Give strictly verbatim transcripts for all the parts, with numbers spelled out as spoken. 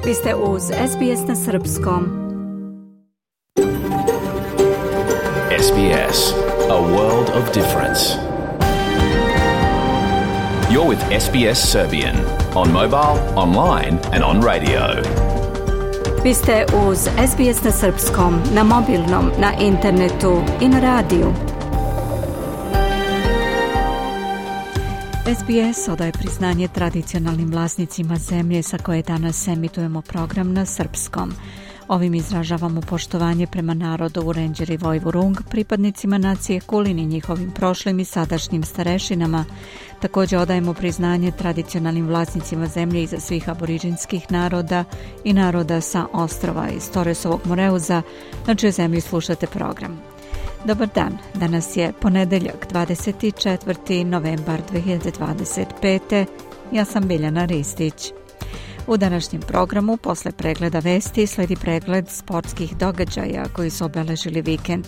Vi ste uz S B S na srpskom. S B S, a world of difference. You're with S B S Serbian on mobile, online and on radio. Vi ste uz S B S na srpskom, na mobilnom, na internetu i na radiju. S B S odaje priznanje tradicionalnim vlasnicima zemlje sa koje danas emitujemo program na srpskom. Ovim izražavamo poštovanje prema narodu Wurundjeri i Woiwurrung, pripadnicima nacije Kulin i njihovim prošlim i sadašnjim starešinama. Također odajemo priznanje tradicionalnim vlasnicima zemlje iza svih aboriđinskih naroda i naroda sa ostrova iz Torresovog Moreuza, na čijoj zemlji slušate program. Dobar dan, danas je ponedeljak, dvadeset četvrti novembar dve hiljade dvadeset pete. Ja sam Biljana Ristić. U današnjem programu, posle pregleda vesti, sledi pregled sportskih događaja koji su obeležili vikend.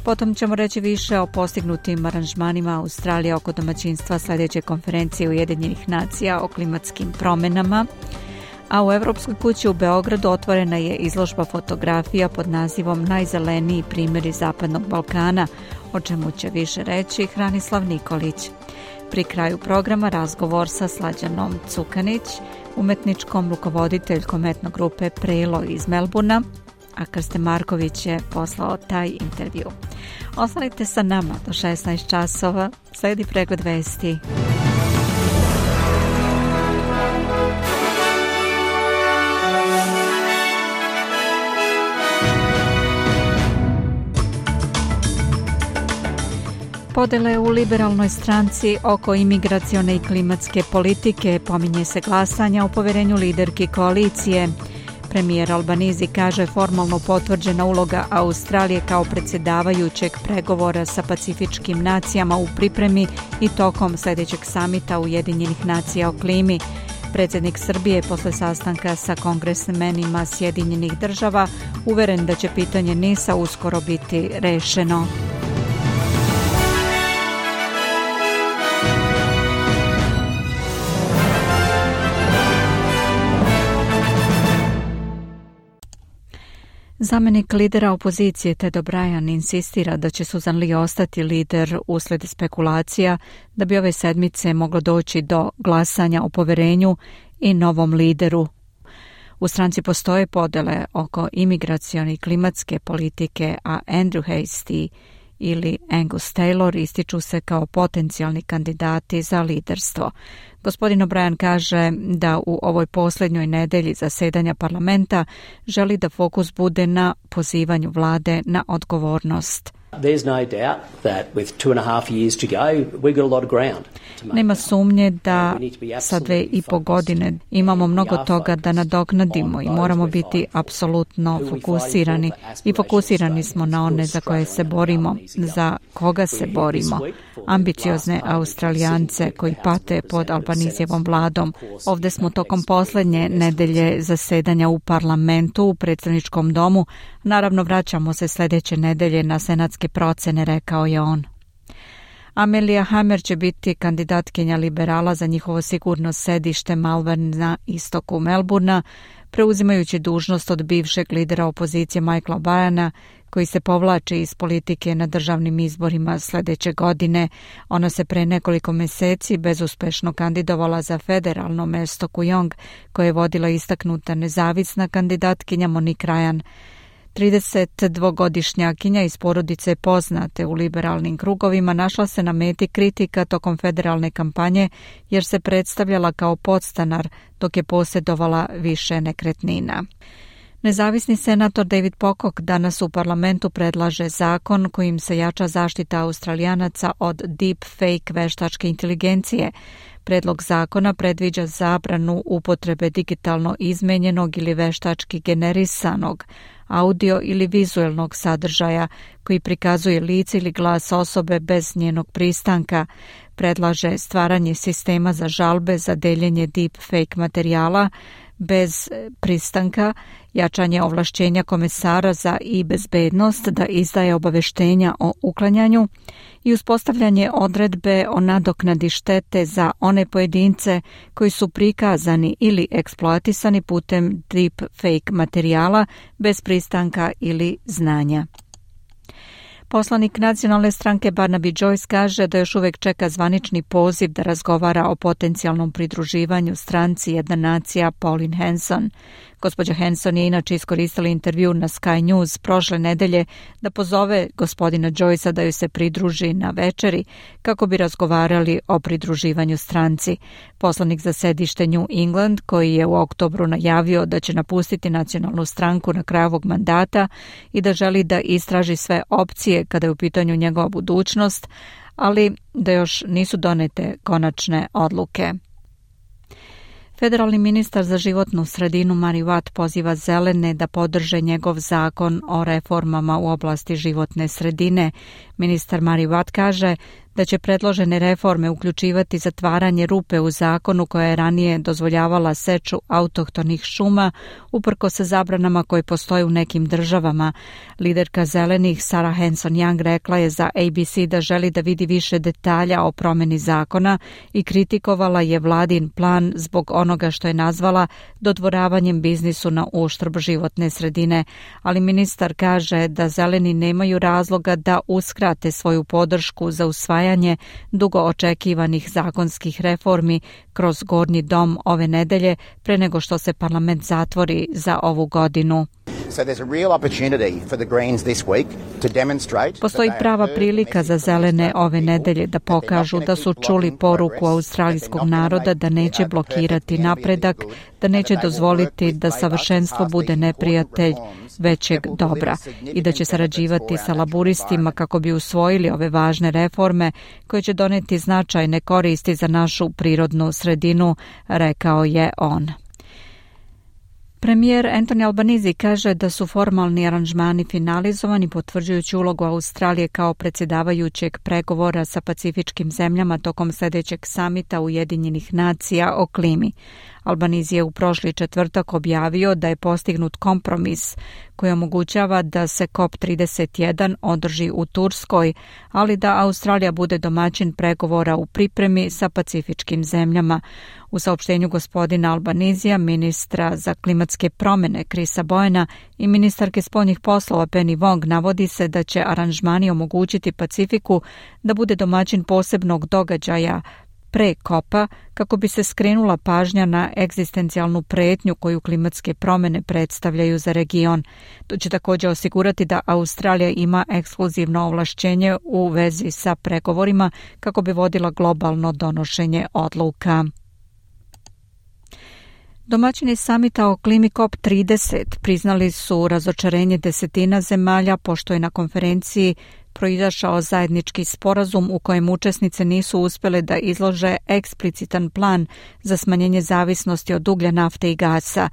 Potom ćemo reći više o postignutim aranžmanima Australije oko domaćinstva sljedeće konferencije Ujedinjenih nacija o klimatskim promjenama. A u Evropskoj kući u Beogradu otvorena je izložba fotografija pod nazivom Najzeleniji primjeri Zapadnog Balkana, o čemu će više reći Hranislav Nikolić. Pri kraju programa razgovor sa Slađanom Cukanić, umetničkom rukovoditeljkom etno grupe Prelo iz Melburna, a Krste Marković je poslao taj intervju. Ostanite sa nama do šesnaest časova, slijedi pregled vesti. Podele u liberalnoj stranci oko imigracione i klimatske politike, pominje se glasanja o poverenju liderki koalicije. Premijer Albanizi kaže formalno potvrđena uloga Australije kao predsjedavajućeg pregovora sa pacifičkim nacijama u pripremi i tokom sljedećeg samita Ujedinjenih nacija o klimi. Predsjednik Srbije posle sastanka sa kongresmenima Sjedinjenih država uveren da će pitanje NIS-a uskoro biti rešeno. Zamenik lidera opozicije Ted O'Brien insistira da će Susan Lee ostati lider uslijed spekulacija da bi ove sedmice moglo doći do glasanja o poverenju i novom lideru. U stranci postoje podele oko imigracione i klimatske politike, a Andrew Hastie ili Angus Taylor ističu se kao potencijalni kandidati za liderstvo. Gospodin O'Brien kaže da u ovoj posljednjoj nedelji zasedanja parlamenta želi da fokus bude na pozivanju vlade na odgovornost. Nema sumnje da sa dve i po godine imamo mnogo toga da nadoknadimo i moramo biti apsolutno fokusirani. I fokusirani smo na one za koje se borimo, za koga se borimo. Ambiciozne Australijance koji pate pod Albanizijevom vladom. Ovdje smo tokom posljednje nedelje zasedanja u parlamentu, u predstavničkom domu. Naravno, vraćamo se sljedeće nedelje na senatske procene, rekao je on. Amelia Hammer će biti kandidatkinja liberala za njihovo sigurno sedište Malvern na istoku Melburna, preuzimajući dužnost od bivšeg lidera opozicije Michaela Byana, koji se povlači iz politike na državnim izborima sljedeće godine. Ona se pre nekoliko mjeseci bezuspešno kandidovala za federalno mesto Kujong, koje je vodila istaknuta nezavisna kandidatkinja Monique Ryan. tridesetdvogodišnjakinja iz porodice poznate u liberalnim krugovima našla se na meti kritika tokom federalne kampanje jer se predstavljala kao podstanar dok je posjedovala više nekretnina. Nezavisni senator David Pocock danas u parlamentu predlaže zakon kojim se jača zaštita Australijanaca od deepfake veštačke inteligencije. Predlog zakona predviđa zabranu upotrebe digitalno izmenjenog ili veštački generisanog audio ili vizuelnog sadržaja koji prikazuje lice ili glas osobe bez njenog pristanka. Predlaže stvaranje sistema za žalbe za deljenje deepfake materijala, bez pristanka, jačanje ovlašćenja komesara za e-bezbednost da izdaje obaveštenja o uklanjanju i uspostavljanje odredbe o nadoknadi štete za one pojedince koji su prikazani ili eksploatisani putem deepfake materijala bez pristanka ili znanja. Poslanik nacionalne stranke Barnaby Joyce kaže da još uvijek čeka zvanični poziv da razgovara o potencijalnom pridruživanju stranci Jedna nacija Pauline Hanson. Gospođa Hanson je inače iskoristila intervju na Sky News prošle nedelje da pozove gospodina Joycea da ju se pridruži na večeri kako bi razgovarali o pridruživanju stranci. Poslanik za sedište New England, koji je u oktobru najavio da će napustiti nacionalnu stranku na kraju ovog mandata i da želi da istraži sve opcije kada je u pitanju njegova budućnost, ali da još nisu donete konačne odluke. Federalni ministar za životnu sredinu Mari Watt poziva zelene da podrže njegov zakon o reformama u oblasti životne sredine. Ministar Mari Watt kaže da će predložene reforme uključivati zatvaranje rupe u zakonu koja je ranije dozvoljavala seču autohtonih šuma uprkos sa zabranama koje postoje u nekim državama. Liderka zelenih Sarah Hanson-Young rekla je za A B C da želi da vidi više detalja o promjeni zakona i kritikovala je vladin plan zbog onoga što je nazvala dodvoravanjem biznisu na uštrb životne sredine. Ali ministar kaže da zeleni nemaju razloga da uskrate svoju podršku za usvajanje dugo očekivanih zakonskih reformi kroz Gornji dom ove nedelje pre nego što se parlament zatvori za ovu godinu. Postoji prava prilika za zelene ove nedelje da pokažu da su čuli poruku australijskog naroda da neće blokirati napredak, da neće dozvoliti da savršenstvo bude neprijatelj većeg dobra i da će sarađivati sa laburistima kako bi usvojili ove važne reforme koje će doneti značajne koristi za našu prirodnu sredinu, rekao je on. Premijer Anthony Albanese kaže da su formalni aranžmani finalizovani potvrđujući ulogu Australije kao predsjedavajućeg pregovora sa pacifičkim zemljama tokom sljedećeg samita Ujedinjenih nacija o klimi. Albanese je u prošli četvrtak objavio da je postignut kompromis koji omogućava da se COP trideset jedan održi u Turskoj, ali da Australija bude domaćin pregovora u pripremi sa pacifičkim zemljama. U saopštenju gospodina Albanesea, ministra za klimatske promjene Chrisa Boyena i ministarke spoljnih poslova Penny Wong navodi se da će aranžmani omogućiti Pacifiku da bude domaćin posebnog događaja pre kopa kako bi se skrenula pažnja na egzistencijalnu pretnju koju klimatske promjene predstavljaju za region. To će također osigurati da Australija ima ekskluzivno ovlašćenje u vezi sa pregovorima kako bi vodila globalno donošenje odluka. Domaćini samita o klimi COP trideset priznali su razočarenje desetina zemalja pošto je na konferenciji proizašao zajednički sporazum u kojem učesnice nisu uspjele da izlože eksplicitan plan za smanjenje zavisnosti od uglja, nafte i gasa.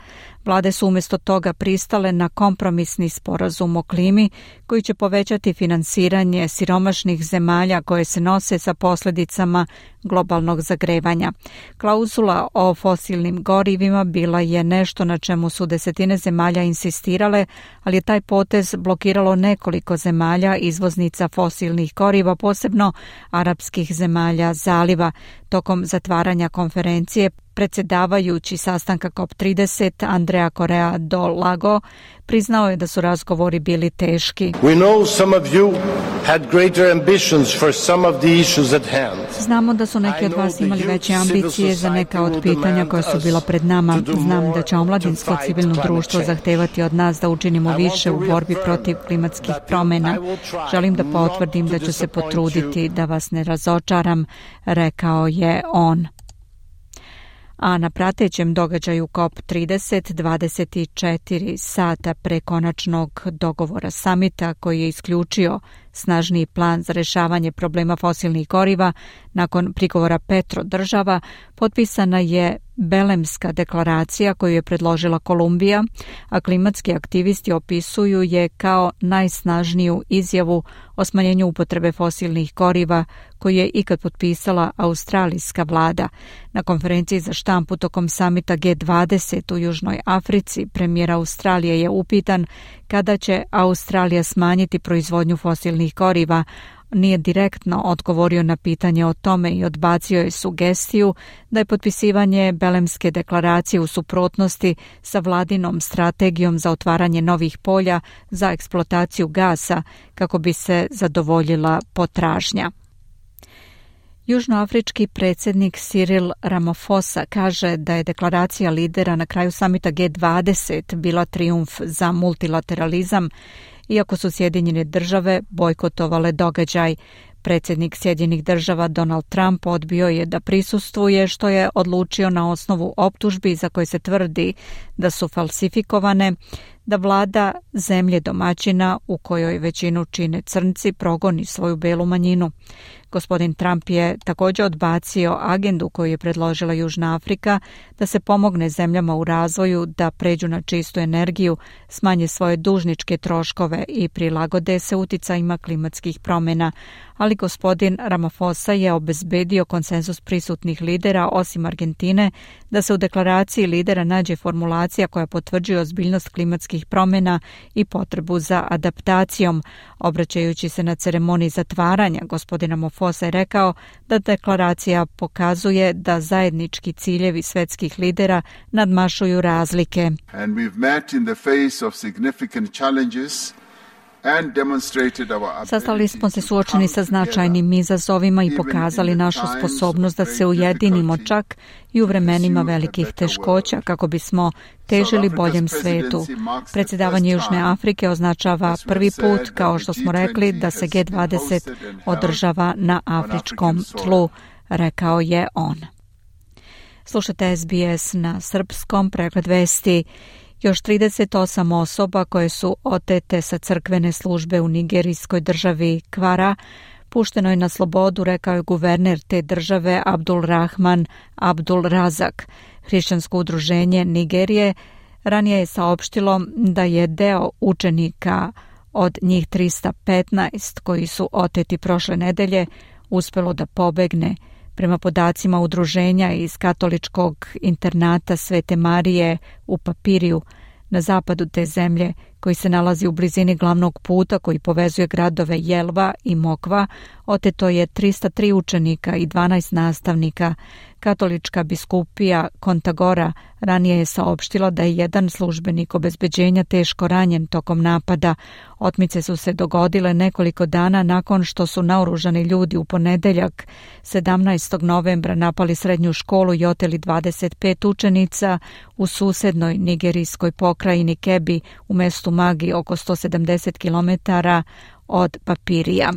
Vlade su umjesto toga pristale na kompromisni sporazum o klimi koji će povećati finansiranje siromašnih zemalja koje se nose sa posljedicama globalnog zagrevanja. Klauzula o fosilnim gorivima bila je nešto na čemu su desetine zemalja insistirale, ali je taj potez blokiralo nekoliko zemalja izvoznica fosilnih goriva, posebno arapskih zemalja zaliva. Tokom zatvaranja konferencije predsjedavajući sastanka COP trideset Andrea Correa do Lago priznao je da su razgovori bili teški. We know some of you had greater ambitions for some of the issues at hand. Znamo da su neki od vas imali veće ambicije za neka od pitanja koja su bila pred nama. Znam da će omladinsko civilno društvo zahtevati od nas da učinimo više u borbi protiv klimatskih promjena. Želim da potvrdim da ću se potruditi da vas ne razočaram, rekao je on. A na pratećem događaju COP trideset dvadeset četiri sata pre konačnog dogovora samita koji je isključio snažniji plan za rješavanje problema fosilnih goriva, Nakon prigovora petro država potpisana je Belemska deklaracija koju je predložila Kolumbija, a klimatski aktivisti opisuju je kao najsnažniju izjavu o smanjenju upotrebe fosilnih goriva koju je ikad potpisala australijska vlada. Na konferenciji za štampu tokom samita G dvadeset u Južnoj Africi premijer Australije je upitan kada će Australija smanjiti proizvodnju fosilnih goriva. Nije direktno odgovorio na pitanje o tome i odbacio je sugestiju da je potpisivanje Belemske deklaracije u suprotnosti sa vladinom strategijom za otvaranje novih polja za eksploataciju gasa kako bi se zadovoljila potražnja. Južnoafrički predsjednik Cyril Ramaphosa kaže da je deklaracija lidera na kraju samita G dvadeset bila trijumf za multilateralizam, iako su Sjedinjene države bojkotovale događaj. Predsjednik Sjedinjenih država Donald Trump odbio je da prisustvuje, što je odlučio na osnovu optužbi za koje se tvrdi da su falsifikovane, da vlada zemlje domaćina u kojoj većinu čine crnci progoni svoju belu manjinu. Gospodin Trump je također odbacio agendu koju je predložila Južna Afrika da se pomogne zemljama u razvoju da pređu na čistu energiju, smanje svoje dužničke troškove i prilagode se uticajima klimatskih promjena. Ali gospodin Ramaphosa je obezbedio konsenzus prisutnih lidera, osim Argentine, da se u deklaraciji lidera nađe formulacija koja potvrđuje ozbiljnost klimatskih promjena i potrebu za adaptacijom. Obraćajući se na ceremoniji zatvaranja, gospodin Ramaphosa je rekao da deklaracija pokazuje da zajednički ciljevi svjetskih lidera nadmašuju razlike. And we've met in the face of significant challenges. Sastali smo se suočeni sa značajnim izazovima i pokazali našu sposobnost da se ujedinimo čak i u vremenima velikih teškoća kako bismo težili boljem svetu. Predsjedavanje Južne Afrike označava prvi put, kao što smo rekli, da se G dvadeset održava na afričkom tlu, rekao je on. Slušate S B S na srpskom, pregled vesti. Još trideset osam osoba koje su otete sa crkvene službe u nigerijskoj državi Kvara pušteno je na slobodu, rekao je guverner te države Abdul Rahman Abdul Razak. Hrišćansko udruženje Nigerije ranije je saopštilo da je deo učenika od njih tristo petnaest koji su oteti prošle nedelje uspelo da pobegne. Prema podacima udruženja iz katoličkog internata Svete Marije u Papiriju na zapadu te zemlje, koji se nalazi u blizini glavnog puta koji povezuje gradove Jelva i Mokva, oteto je tristo tri učenika i dvanaest nastavnika. Katolička biskupija Kontagora ranije je saopštila da je jedan službenik obezbeđenja teško ranjen tokom napada. Otmice su se dogodile nekoliko dana nakon što su naoružani ljudi u ponedeljak sedamnaestog novembra napali srednju školu i oteli dvadeset pet učenica u susednoj nigerijskoj pokrajini Kebi u mestu Magi, oko sto sedamdeset kilometara od Papirija.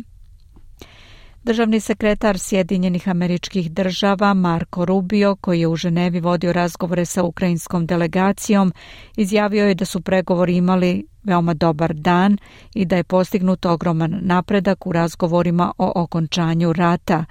Državni sekretar Sjedinjenih Američkih Država Marco Rubio, koji je u Ženevi vodio razgovore sa ukrajinskom delegacijom, izjavio je da su pregovori imali veoma dobar dan i da je postignut ogroman napredak u razgovorima o okončanju rata.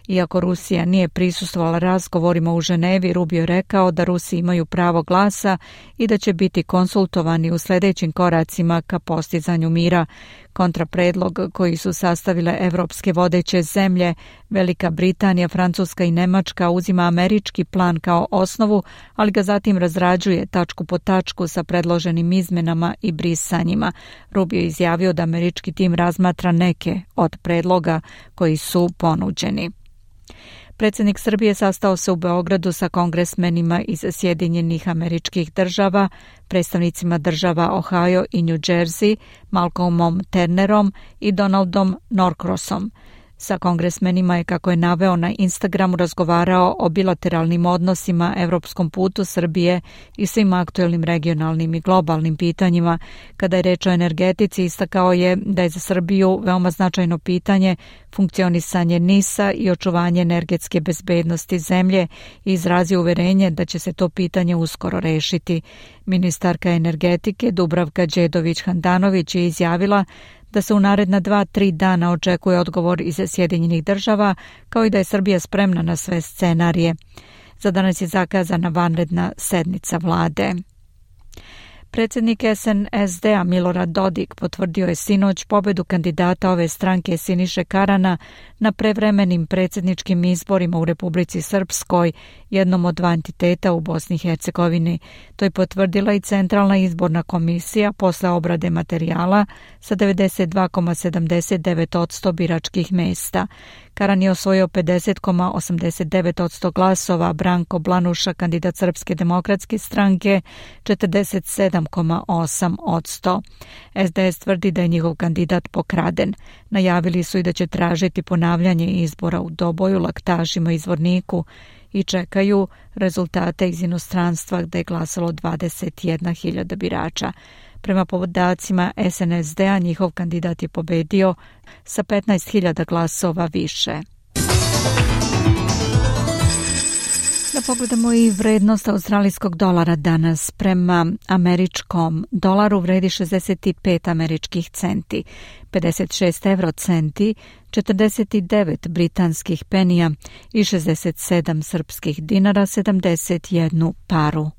Iako Rusija nije prisustvovala razgovorima u Ženevi, Rubio je rekao da Rusi imaju pravo glasa i da će biti konsultovani u sljedećim koracima ka postizanju mira. Kontrapredlog koji su sastavile evropske vodeće zemlje, Velika Britanija, Francuska i Nemačka, uzima američki plan kao osnovu, ali ga zatim razrađuje tačku po tačku sa predloženim izmenama i brisanjima. Rubio je izjavio da američki tim razmatra neke od predloga koji su ponuđeni. Predsjednik Srbije sastao se u Beogradu sa kongresmenima iz Sjedinjenih Američkih Država, predstavnicima država Ohio i New Jersey, Malcolmom Turnerom i Donaldom Norcrossom. Sa kongresmenima je, kako je naveo na Instagramu, razgovarao o bilateralnim odnosima, evropskom putu Srbije i svim aktuelnim regionalnim i globalnim pitanjima. Kada je reč o energetici, istakao je da je za Srbiju veoma značajno pitanje funkcionisanje NIS-a i očuvanje energetske bezbednosti zemlje i izrazio uverenje da će se to pitanje uskoro rešiti. Ministarka energetike Dubravka Đedović Handanović je izjavila da da se u naredna dva, tri dana očekuje odgovor iz Sjedinjenih država, kao i da je Srbija spremna na sve scenarije. Za danas je zakazana vanredna sednica vlade. Predsjednik S N S D-a Milorad Dodik potvrdio je sinoć pobedu kandidata ove stranke Siniše Karana na prevremenim predsjedničkim izborima u Republici Srpskoj, jednom od dva entiteta u Bosni i Hercegovini. To je potvrdila i Centralna izborna komisija posle obrade materijala sa devedeset dva zarez sedamdeset devet posto biračkih mesta. Karan je osvojio pedeset zarez osamdeset devet posto glasova, Branko Blanuša, kandidat Srpske demokratske stranke, četrdeset sedam zarez osam posto. S D S tvrdi da je njihov kandidat pokraden. Najavili su i da će tražiti ponavljanje izbora u Doboju, Laktašima i Zvorniku i čekaju rezultate iz inostranstva gde je glasalo dvadeset jedna hiljada birača. Prema podacima S N S D-a njihov kandidat je pobedio sa petnaest hiljada glasova više. Da pogledamo i vrednost australijskog dolara danas. Prema američkom dolaru vredi šezdeset pet američkih centi, pedeset šest evro centi, četrdeset devet britanskih penija i šezdeset sedam srpskih dinara, sedamdeset jednu paru.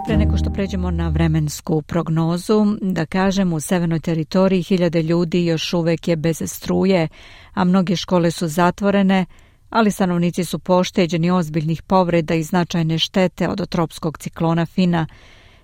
Pre nego što pređemo na vremensku prognozu, da kažem, u severnoj teritoriji hiljade ljudi još uvek je bez struje, a mnoge škole su zatvorene, ali stanovnici su pošteđeni ozbiljnih povreda i značajne štete od tropskog ciklona Fina.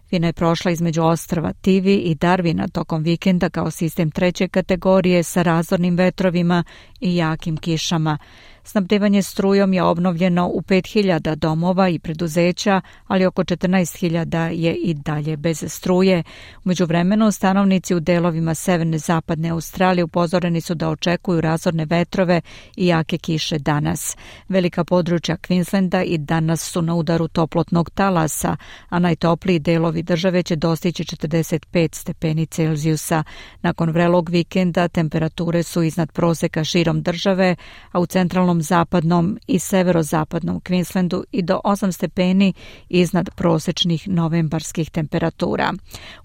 Fina je prošla između ostrva Tivi i Darwina tokom vikenda kao sistem treće kategorije sa razornim vetrovima i jakim kišama. Snabdevanje strujom je obnovljeno u pet hiljada domova i preduzeća, ali oko četrnaest hiljada je i dalje bez struje. U međuvremenu, stanovnici u delovima severne zapadne Australije upozoreni su da očekuju razorne vetrove i jake kiše danas. Velika područja Queenslanda i danas su na udaru toplotnog talasa, a najtopliji delovi države će dostići četrdeset pet stepeni Celzijusa. Nakon vrelog vikenda temperature su iznad proseka širom države, a u centralnom zapadnom i severozapadnom Queenslandu i do osam stepeni iznad prosečnih novembarskih temperatura.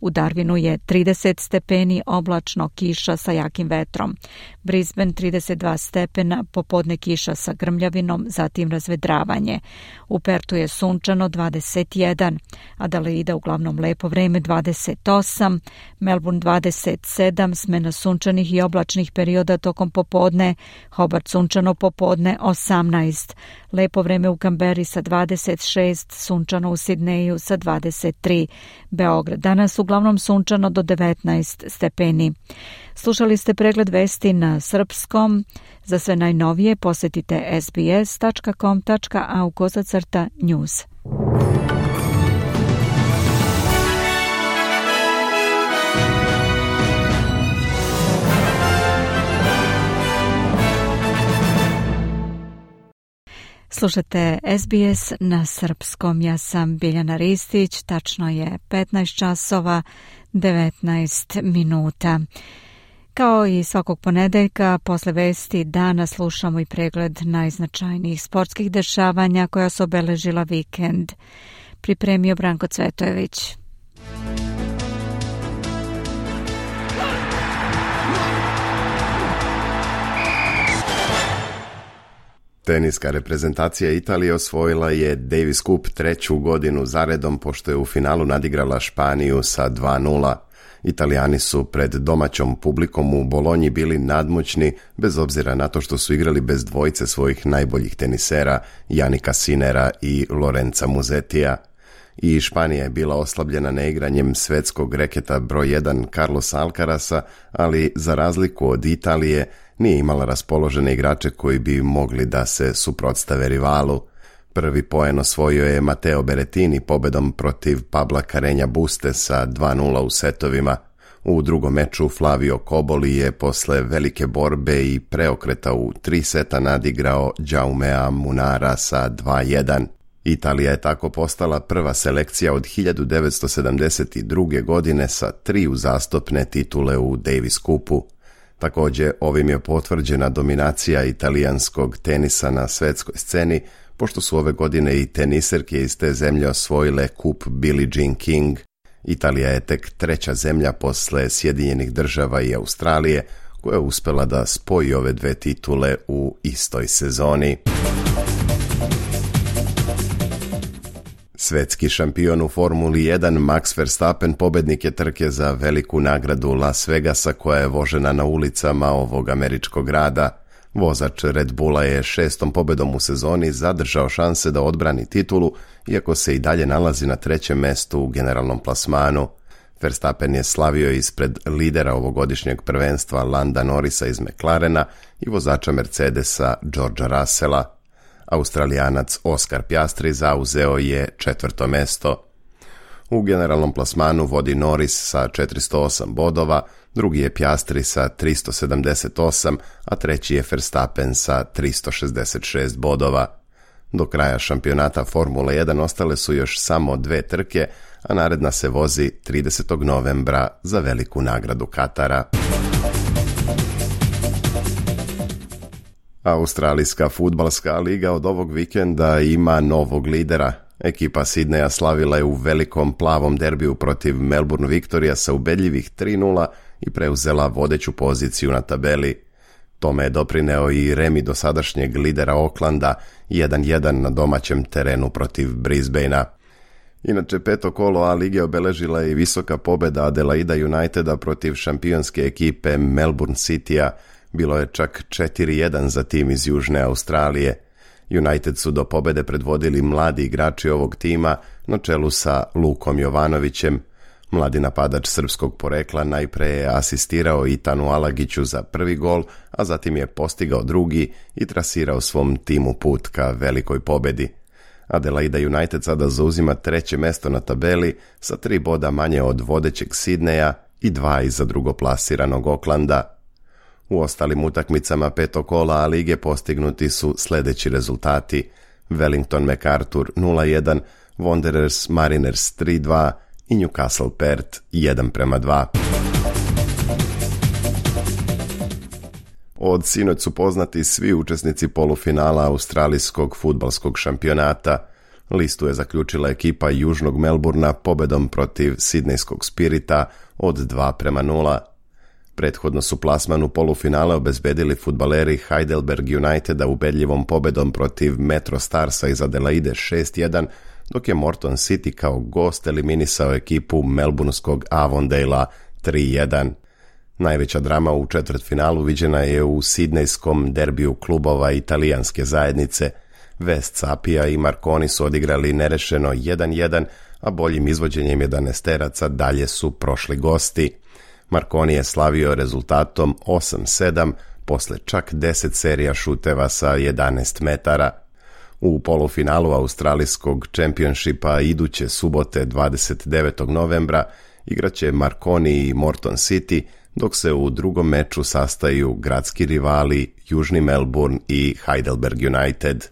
U Darwinu je trideset stepeni, oblačno, kiša sa jakim vetrom. Brisbane trideset dva stepena, popodne kiša sa grmljavinom, zatim razvedravanje. U Pertu je sunčano dvadeset jedan, Adelaida uglavnom lepo vreme dvadeset osam, Melbourne dvadeset sedam, smena sunčanih i oblačnih perioda tokom popodne, Hobart sunčano popodne osamnaest, lepo vreme u Kamberi sa dvadeset šest, sunčano u Sidneju sa dvadeset tri, Beograd danas uglavnom sunčano do devetnaest stepeni. Slušali ste pregled vesti na srpskom. Za sve najnovije posetite s b s tačka com tačka a u kozacrta news. Slušate S B S na srpskom. Ja sam Biljana Ristić. Tačno je petnaest časova devetnaest minuta. Kao i svakog ponedeljka, posle vesti dana slušamo i pregled najznačajnijih sportskih dešavanja koja su obeležila vikend. Pripremio Branko Cvetojević. Teniska reprezentacija Italije osvojila je Davis Cup treću godinu zaredom pošto je u finalu nadigrala Španiju sa dva nula. Italijani su pred domaćom publikom u Bolonji bili nadmoćni, bez obzira na to što su igrali bez dvojice svojih najboljih tenisera, Janika Sinera i Lorenza Musettija. I Španija je bila oslabljena neigranjem svetskog reketa broj jedan Carlosa Alcarasa, ali za razliku od Italije nije imala raspoložene igrače koji bi mogli da se suprotstave rivalu. Prvi poen osvojio je Matteo Berrettini pobedom protiv Pabla Carreña Buste sa dva nula u setovima. U drugom meču Flavio Cobolli je posle velike borbe i preokreta u tri seta nadigrao Jaumea Munara sa dva jedan. Italija je tako postala prva selekcija od hiljadu devetsto sedamdeset druge. godine sa tri uzastopne titule u Davis Cupu. Također, ovim je potvrđena dominacija italijanskog tenisa na svetskoj sceni, pošto su ove godine i teniserke iz te zemlje osvojile kup Billie Jean King. Italija je tek treća zemlja posle Sjedinjenih država i Australije koja je uspela da spoji ove dve titule u istoj sezoni. Svetski šampion u Formuli jedan Max Verstappen pobednik je trke za veliku nagradu Las Vegasa koja je vožena na ulicama ovog američkog grada. Vozač Red Bulla je šestom pobedom u sezoni zadržao šanse da odbrani titulu, iako se i dalje nalazi na trećem mestu u generalnom plasmanu. Verstappen je slavio ispred lidera ovogodišnjeg prvenstva Landa Norrisa iz McLarena i vozača Mercedesa Georgea Russella. Australijanac Oscar Piastri zauzeo je četvrto mesto. U generalnom plasmanu vodi Norris sa četiristo osam bodova, drugi je Piastri sa tristo sedamdeset osam, a treći je Verstappen sa tristo šezdeset šest bodova. Do kraja šampionata Formule jedan ostale su još samo dve trke, a naredna se vozi tridesetog novembra za veliku nagradu Katara. Australijska fudbalska liga od ovog vikenda ima novog lidera. Ekipa Sidneja slavila je u velikom plavom derbiju protiv Melbourne Victoria sa ubedljivih tri nula i preuzela vodeću poziciju na tabeli. Tome je doprineo i remi dosadašnjeg lidera Aucklanda jedan jedan na domaćem terenu protiv Brisbanea. Inače, peto kolo A lige obeležila je i visoka pobeda Adelaida Uniteda protiv šampionske ekipe Melbourne Citya. Bilo je čak četiri jedan za tim iz Južne Australije. United su do pobede predvodili mladi igrači ovog tima na čelu sa Lukom Jovanovićem. Mladi napadač srpskog porekla najpre je asistirao Itanu Alagiću za prvi gol, a zatim je postigao drugi i trasirao svom timu put ka velikoj pobedi. Adelaida United sada zauzima treće mesto na tabeli sa tri boda manje od vodećeg Sidneja i dva iza drugoplasiranog Aucklanda. U ostalim utakmicama petog kola A lige postignuti su sljedeći rezultati: Wellington MacArthur nula jedan, Wanderers Mariners tri dva i Newcastle Perth jedan prema dva. Od sinoć su poznati svi učesnici polufinala australijskog fudbalskog šampionata. Listu je zaključila ekipa Južnog Melburna pobedom protiv Sidnejskog Spirita od dva prema nula. Prethodno su plasman u polufinale obezbedili fudbaleri Heidelberg Uniteda ubedljivom pobedom protiv Metro Starsa iz Adelaide šest jedan, dok je Morton City kao gost eliminisao ekipu melburnskog Avondale-a tri jedan. Najveća drama u četvrtfinalu viđena je u sidnejskom derbiju klubova italijanske zajednice. West Sapia i Marconi su odigrali nerešeno jedan jedan, a boljim izvođenjem jedanaesteraca dalje su prošli gosti. Marconi je slavio rezultatom osam sedam posle čak deset serija šuteva sa jedanaest metara. U polufinalu australijskog čempionšipa iduće subote dvadeset devetog novembra igraće Marconi i Morton City, dok se u drugom meču sastaju gradski rivali Južni Melbourne i Heidelberg United.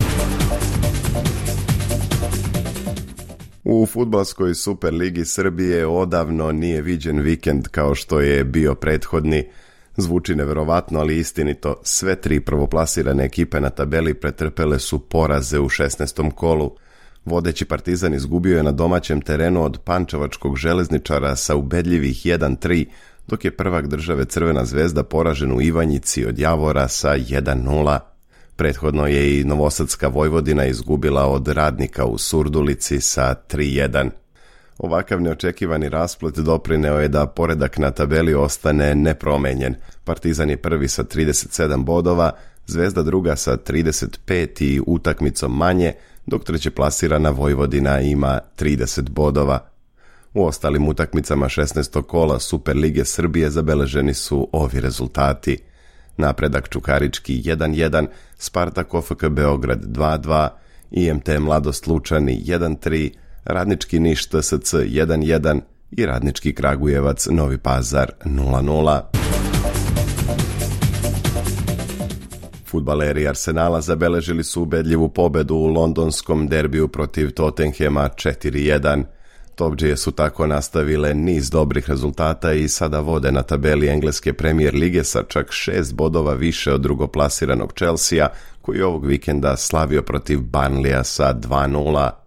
U fudbalskoj Superligi Srbije odavno nije viđen vikend kao što je bio prethodni. Zvuči neverovatno, ali istinito. Sve tri prvoplasirane ekipe na tabeli pretrpele su poraze u šesnaestom kolu. Vodeći Partizan izgubio je na domaćem terenu od pančevačkog Železničara sa ubedljivih jedan tri, dok je prvak države Crvena zvezda poražen u Ivanjici od Javora sa jedan nula. Prethodno je i novosadska Vojvodina izgubila od Radnika u Surdulici sa tri jedan. Ovakav neočekivani rasplet doprineo je da poredak na tabeli ostane nepromenjen. Partizan je prvi sa trideset sedam bodova, Zvezda druga sa trideset pet i utakmicom manje, dok treće plasirana Vojvodina ima trideset bodova. U ostalim utakmicama šesnaestog kola Superlige Srbije zabeleženi su ovi rezultati: Napredak Čukarički jedan jedan, Spartak O F K Beograd dva dva, I M T Mladost Lučani jedan tri, Radnički Niš T S C jedan jedan i Radnički Kragujevac Novi Pazar nula nula. Fudbaleri Arsenala zabeležili su ubedljivu pobedu u londonskom derbiju protiv Tottenhema četiri jedan. Topdžije su tako nastavile niz dobrih rezultata i sada vode na tabeli engleske Premier lige sa čak šest bodova više od drugoplasiranog Chelsea, koji ovog vikenda slavio protiv Burnleya sa dva nula.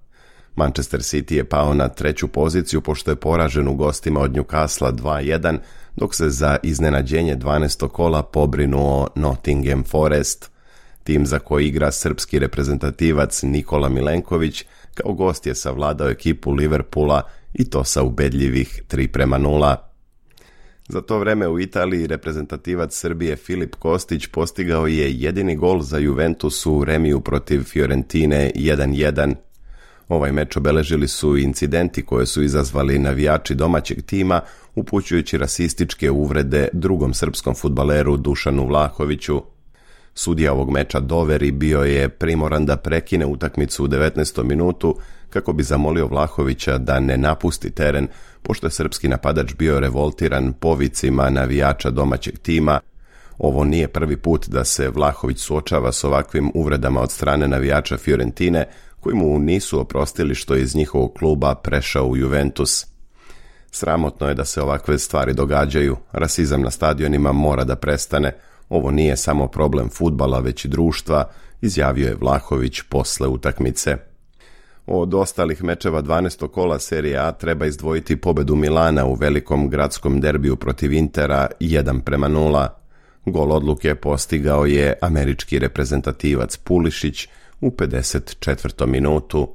Manchester City je pao na treću poziciju pošto je poražen u gostima od Newcastle dva jedan, dok se za iznenađenje dvanaestog kola pobrinuo Nottingham Forest. Tim za koji igra srpski reprezentativac Nikola Milenković kao gost je savladao ekipu Liverpoola i to sa ubedljivih tri prema nula. Za to vreme u Italiji reprezentativac Srbije Filip Kostić postigao je jedini gol za Juventus u remiju protiv Fiorentine jedan jedan. Ovaj meč obeležili su incidenti koje su izazvali navijači domaćeg tima, upućujući rasističke uvrede drugom srpskom fudbaleru Dušanu Vlahoviću. Sudija ovog meča Doveri bio je primoran da prekine utakmicu u devetnaestom minutu kako bi zamolio Vlahovića da ne napusti teren, pošto je srpski napadač bio revoltiran povicima navijača domaćeg tima. Ovo nije prvi put da se Vlahović suočava s ovakvim uvredama od strane navijača Fiorentine, koji mu nisu oprostili što je iz njihovog kluba prešao u Juventus. Sramotno je da se ovakve stvari događaju, rasizam na stadionima mora da prestane, ovo nije samo problem fudbala već i društva, izjavio je Vlahović posle utakmice. Od ostalih mečeva dvanaestog kola Serije A treba izdvojiti pobedu Milana u velikom gradskom derbiju protiv Intera jedan prema nula. Gol odluke postigao je američki reprezentativac Pulišić u pedeset četvrtom minutu.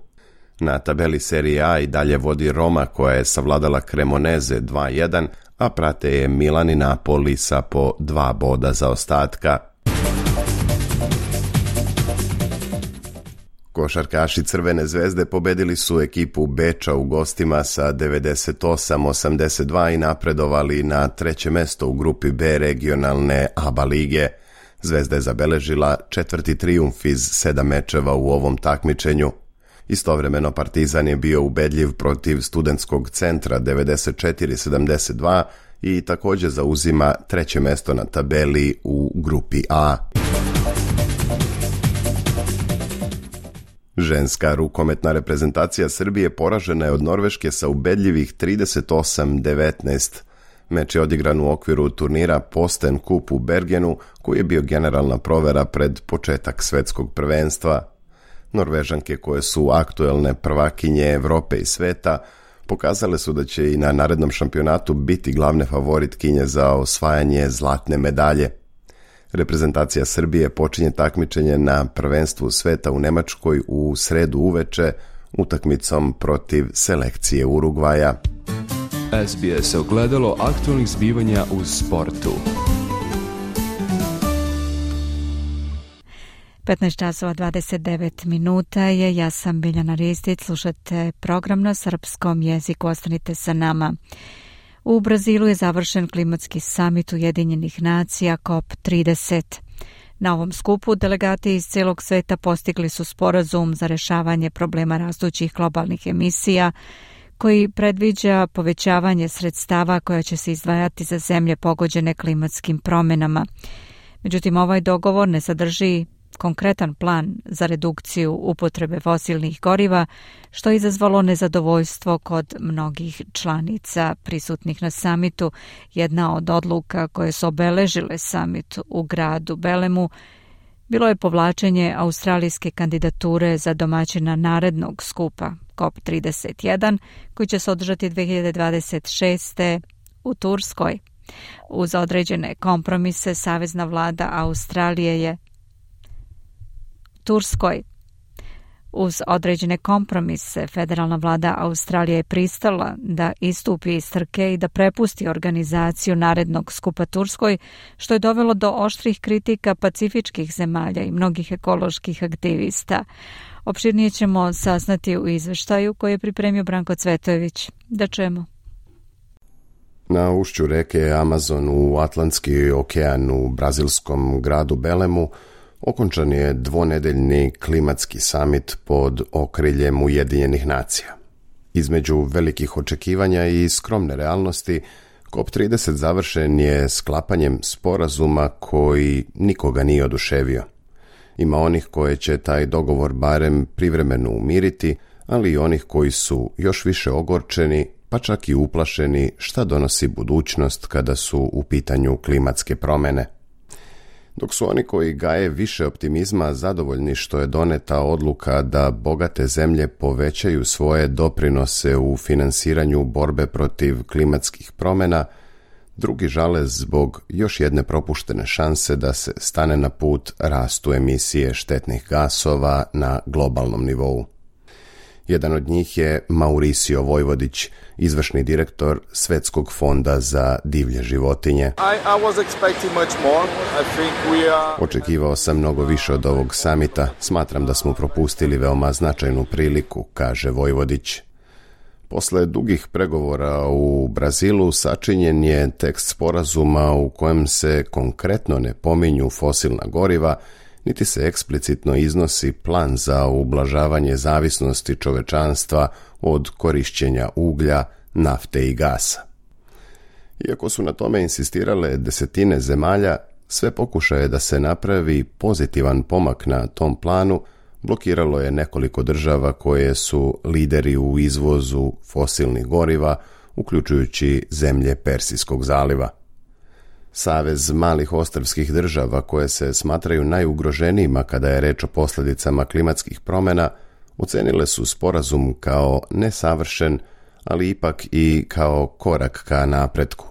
Na tabeli Serije A i dalje vodi Roma koja je savladala Cremoneze dva jedan, a prate je Milan i Napoli sa po dva boda zaostatka. Košarkaši Crvene zvezde pobedili su ekipu Beča u gostima sa devedeset osam osamdeset dva i napredovali na treće mesto u grupi B regionalne A B A lige. Zvezda je zabeležila četvrti trijumf iz sedam mečeva u ovom takmičenju. Istovremeno Partizan je bio ubedljiv protiv Studentskog centra devedeset četiri sedamdeset dva i također zauzima treće mesto na tabeli u grupi A. Ženska rukometna reprezentacija Srbije poražena je od Norveške sa ubedljivih trideset osam devetnaest. Meč je odigran u okviru turnira Posten Cup u Bergenu, koji je bio generalna provera pred početak svetskog prvenstva. Norvežanke, koje su aktuelne prvakinje Evrope i sveta, pokazale su da će i na narednom šampionatu biti glavne favoritkinje za osvajanje zlatne medalje. Reprezentacija Srbije počinje takmičenje na prvenstvu sveta u Nemačkoj u sredu uveče utakmicom protiv selekcije Urugvaja. S B S ogledalo aktualnih zbivanja u sportu. petnaest časova dvadeset devet minuta je, ja sam Biljana Ristić, slušate program na srpskom jeziku, ostanite sa nama. U Brazilu je završen klimatski samit Ujedinjenih nacija C O P trideset. Na ovom skupu delegati iz cijelog sveta postigli su sporazum za rješavanje problema rastućih globalnih emisija, koji predviđa povećavanje sredstava koja će se izdvajati za zemlje pogođene klimatskim promjenama. Međutim, ovaj dogovor ne sadrži konkretan plan za redukciju upotrebe fosilnih goriva, što je izazvalo nezadovoljstvo kod mnogih članica prisutnih na samitu. Jedna od odluka koje su obeležile samit u gradu Belemu bilo je povlačenje australijske kandidature za domaćina narednog skupa C O P trideset jedan, koji će se održati dve hiljade dvadeset šeste. u Turskoj. Uz određene kompromise, Savezna vlada Australije je Turskoj. Uz određene kompromise, federalna vlada Australije je pristala da istupi iz trke i da prepusti organizaciju narednog skupa Turskoj, što je dovelo do oštrih kritika pacifičkih zemalja i mnogih ekoloških aktivista. Opširnije ćemo saznati u izveštaju koji je pripremio Branko Cvetojević. Da čujemo. Na ušću reke Amazon u Atlantski okean u brazilskom gradu Belemu okončan je dvonedeljni klimatski samit pod okriljem Ujedinjenih nacija. Između velikih očekivanja i skromne realnosti, C O P trideset završen je sklapanjem sporazuma koji nikoga nije oduševio. Ima onih koje će taj dogovor barem privremeno umiriti, ali i onih koji su još više ogorčeni, pa čak i uplašeni šta donosi budućnost kada su u pitanju klimatske promjene. dok su oni koji gaje više optimizma zadovoljni što je doneta odluka da bogate zemlje povećaju svoje doprinose u finansiranju borbe protiv klimatskih promjena, drugi žale zbog još jedne propuštene šanse da se stane na put rastu emisije štetnih gasova na globalnom nivou. Jedan od njih je Mauricio Vojvodić, izvršni direktor Svetskog fonda za divlje životinje. I, I was expecting much more. I think we are... Očekivao sam mnogo više od ovog samita. Smatram da smo propustili veoma značajnu priliku, kaže Vojvodić. Posle dugih pregovora u Brazilu sačinjen je tekst sporazuma u kojem se konkretno ne pominju fosilna goriva, niti se eksplicitno iznosi plan za ublažavanje zavisnosti čovečanstva od korišćenja uglja, nafte i gasa. Iako su na tome insistirale desetine zemalja, sve pokušaje da se napravi pozitivan pomak na tom planu blokiralo je nekoliko država koje su lideri u izvozu fosilnih goriva, uključujući zemlje Persijskog zaliva. Savez malih ostrvskih država koje se smatraju najugroženijima kada je reč o posljedicama klimatskih promjena, ocenile su sporazum kao nesavršen, ali ipak i kao korak ka napretku.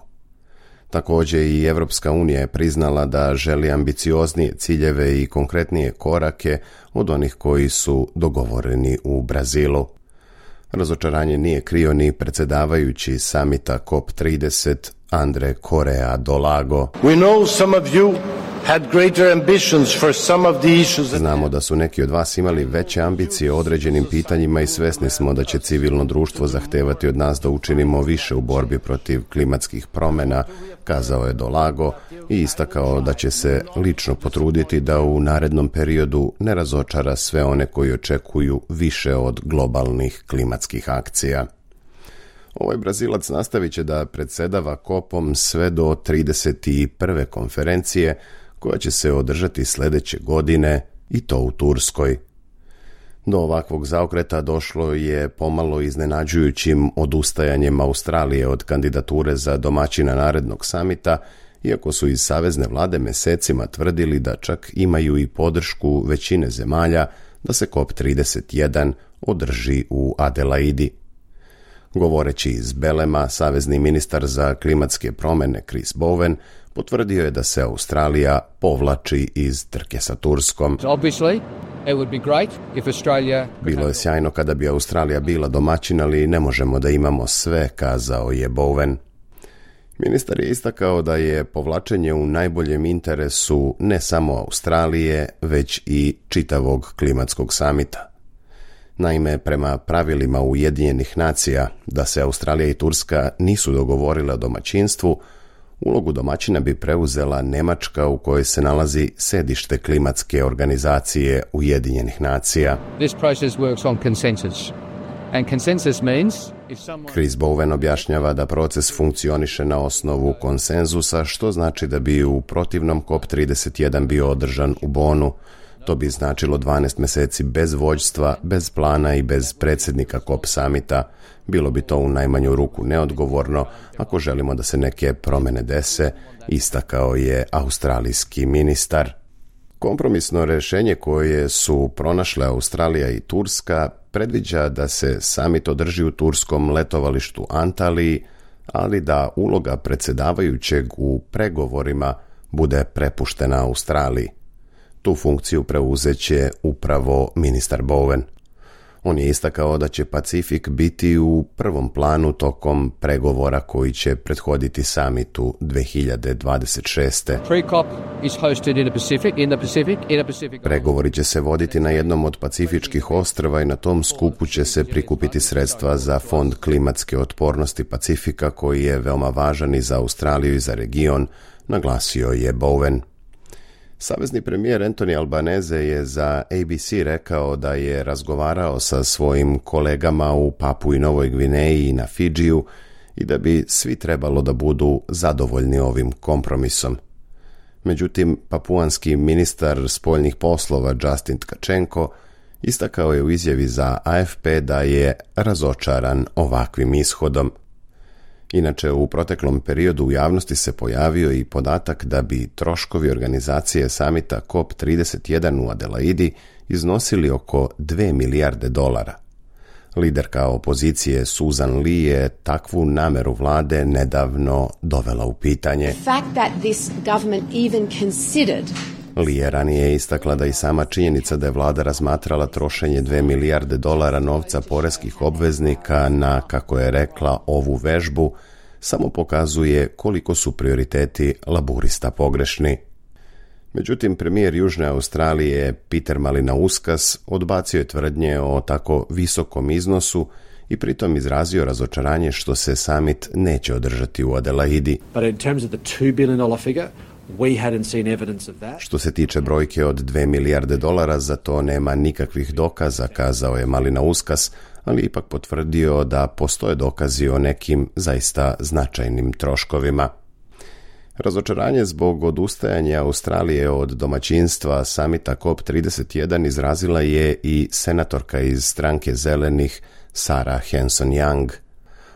Također i Evropska unija je priznala da želi ambicioznije ciljeve i konkretnije korake od onih koji su dogovoreni u Brazilu. Razočaranje nije krio ni predsjedavajući samita C O P trideset Andre Correa do Lago. We know some of you had greater ambitions for some of the issues. Znamo da su neki od vas imali veće ambicije o određenim pitanjima i svesni smo da će civilno društvo zahtevati od nas da učinimo više u borbi protiv klimatskih promjena, kazao je do Lago i istakao da će se lično potruditi da u narednom periodu ne razočara sve one koji očekuju više od globalnih klimatskih akcija. Ovaj Brazilac nastavit će da predsjedava kopom sve do trideset prve konferencije koja će se održati sljedeće godine i to u Turskoj. Do ovakvog zaokreta došlo je pomalo iznenađujućim odustajanjem Australije od kandidature za domaćina narednog samita, iako su iz savezne vlade mesecima tvrdili da čak imaju i podršku većine zemalja da se C O P trideset jedan održi u Adelaidi. Govoreći iz Belema, savezni ministar za klimatske promjene Chris Bowen potvrdio je da se Australija povlači iz trke sa Turskom. Bilo je sjajno kada bi Australija bila domaćin, ali ne možemo da imamo sve, kazao je Bowen. Ministar je istakao da je povlačenje u najboljem interesu ne samo Australije, već i čitavog klimatskog samita. Naime, prema pravilima Ujedinjenih nacija da se Australija i Turska nisu dogovorile o domaćinstvu, ulogu domaćina bi preuzela Nemačka u kojoj se nalazi sedište klimatske organizacije Ujedinjenih nacija. This process works on consensus. And consensus means if someone... Chris Bowen objašnjava da proces funkcioniše na osnovu konsenzusa, što znači da bi u protivnom C O P trideset jedan bio održan u Bonu. To bi značilo dvanaest mjeseci bez vođstva, bez plana i bez predsjednika C O P samita. Bilo bi to u najmanju ruku neodgovorno ako želimo da se neke promjene dese, istakao je australijski ministar. Kompromisno rješenje koje su pronašle Australija i Turska predviđa da se samit održi u turskom letovalištu Antaliji, ali da uloga predsjedavajućeg u pregovorima bude prepuštena Australiji. Tu funkciju preuzet će upravo ministar Bowen. On je istakao da će Pacifik biti u prvom planu tokom pregovora koji će prethoditi samitu dve hiljade dvadeset šeste. Pregovori će se voditi na jednom od pacifičkih ostrva i na tom skupu će se prikupiti sredstva za Fond klimatske otpornosti Pacifika koji je veoma važan i za Australiju i za region, naglasio je Bowen. Savezni premijer Anthony Albanese je za A B C rekao da je razgovarao sa svojim kolegama u Papui Novoj Gvineji i na Fidžiju i da bi svi trebalo da budu zadovoljni ovim kompromisom. Međutim, papuanski ministar spoljnih poslova Justin Tkačenko istakao je u izjavi za A F P da je razočaran ovakvim ishodom. Inače, u proteklom periodu u javnosti se pojavio i podatak da bi troškovi organizacije samita C O P trideset jedan u Adelaidi iznosili oko dve milijarde dolara. Liderka opozicije Susan Lee je takvu nameru vlade nedavno dovela u pitanje. Lee je ranije istakla da i sama činjenica da je vlada razmatrala trošenje dve milijarde dolara novca poreskih obveznika na, kako je rekla, ovu vežbu, samo pokazuje koliko su prioriteti laburista pogrešni. Međutim, premijer Južne Australije Peter Malinauskas odbacio je tvrdnje o tako visokom iznosu i pritom izrazio razočaranje što se summit neće održati u Adelaidi. Što se tiče brojke od dve milijarde dolara, za to nema nikakvih dokaza, kazao je Malinauskas, ali ipak potvrdio da postoje dokazi o nekim zaista značajnim troškovima. Razočaranje zbog odustajanja Australije od domaćinstva samita C O P trideset jedan izrazila je i senatorka iz stranke Zelenih Sarah Hanson-Young.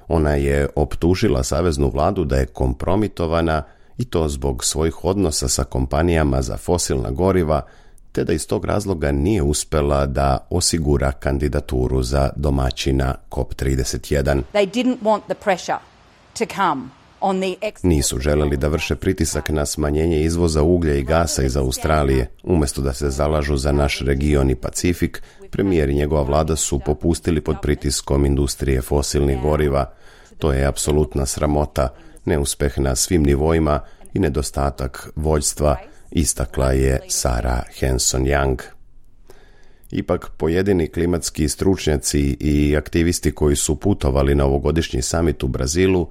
Ona je optužila saveznu vladu da je kompromitovana i to zbog svojih odnosa sa kompanijama za fosilna goriva, te da iz tog razloga nije uspela da osigura kandidaturu za domaćina C O P trideset jedan. They didn't want the pressure to come. Nisu želeli da vrše pritisak na smanjenje izvoza uglja i gasa iz Australije. Umjesto da se zalažu za naš region i Pacifik, premijer i njegova vlada su popustili pod pritiskom industrije fosilnih goriva. To je apsolutna sramota, neuspeh na svim nivoima i nedostatak vođstva, istakla je Sarah Hanson-Young. Ipak, pojedini klimatski stručnjaci i aktivisti koji su putovali na ovogodišnji samit u Brazilu